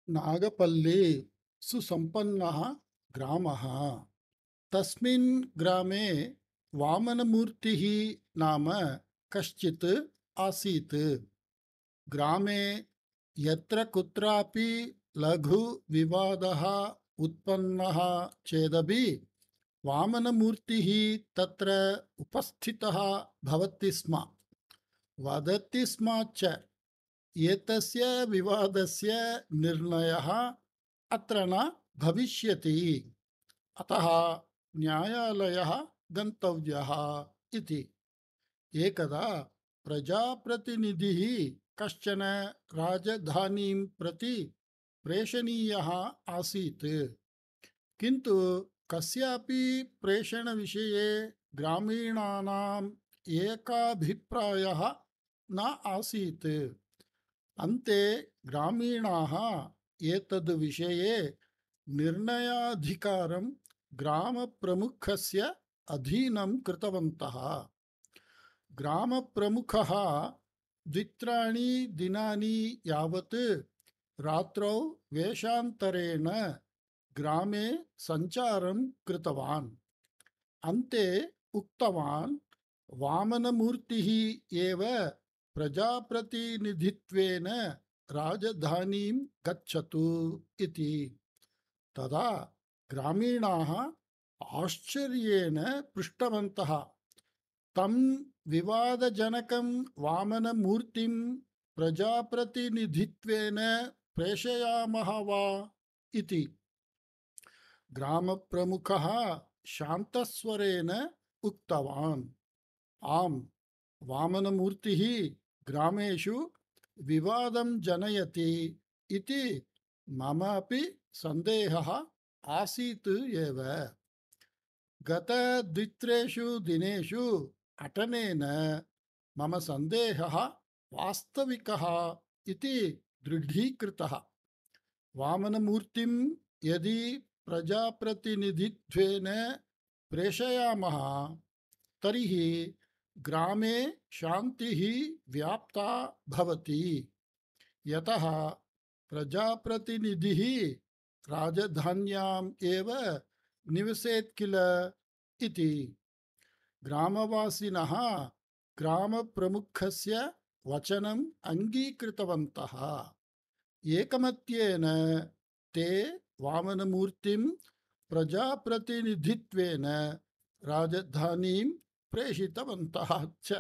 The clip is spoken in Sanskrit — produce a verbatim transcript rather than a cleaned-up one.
नागपल्ली सुसम्पन्नः ग्रामः। तस्मिन् ग्रामे वामनमूर्तिः नाम कश्चित् आसीत्। ग्रामे यत्र कुत्रापि लघु विवादः उत्पन्नः चेदपि वामनमूर्तिः तत्र उपस्थितः भवति स्म। वदति स्म च एतस्य विवादस्य निर्णयः अत्र न भविष्यति, अतः न्यायालयः गन्तव्यः इति। एकदा प्रजाप्रतिनिधिः कश्चन राजधानीं प्रति प्रेषणीयः आसीत्, किन्तु कस्यापि प्रेषणविषये ग्रामीणानाम् एकाभिप्रायः न आसीत्। अन्ते ग्रामीणाः एतद् विषये निर्णयाधिकारं ग्रामप्रमुखस्य अधीनं कृतवन्तः। ग्रामप्रमुखः द्वित्राणि दिनानि यावत् रात्रौ वेषान्तरेण ग्रामे सञ्चारं कृतवान्। अन्ते उक्तवान्, वामनमूर्तिः एव प्रजाप्रतिनिधित्वेन राजधानीं गच्छतु इति। तदा ग्रामीणाः आश्चर्येण पृष्टवन्तः, तं विवादजनकं वामनमूर्तिं प्रजाप्रतिनिधित्वेन प्रेषयामः वा इति। ग्रामप्रमुखः शान्तस्वरेण उक्तवान्, आम्, वामनमूर्तिः ग्रामेषु विवादं जनयति इति मम अपि सन्देहः आसीत् एव। गतद्वित्रेषु दिनेषु अटनेन मम सन्देहः वास्तविकः इति दृढीकृतः। वामनमूर्तिं यदि प्रजाप्रतिनिधित्वेन प्रेषयामः तर्हि ग्रामे शान्तिः व्याप्ता भवति, यतः प्रजाप्रतिनिधिः राजधान्याम् एव निवसेत् किल इति। ग्रामवासिनः ग्रामप्रमुखस्य वचनम् अङ्गीकृतवन्तः। एकमत्येन ते वामनमूर्तिं प्रजाप्रतिनिधित्वेन राजधानीं प्रेषितवन्तः च।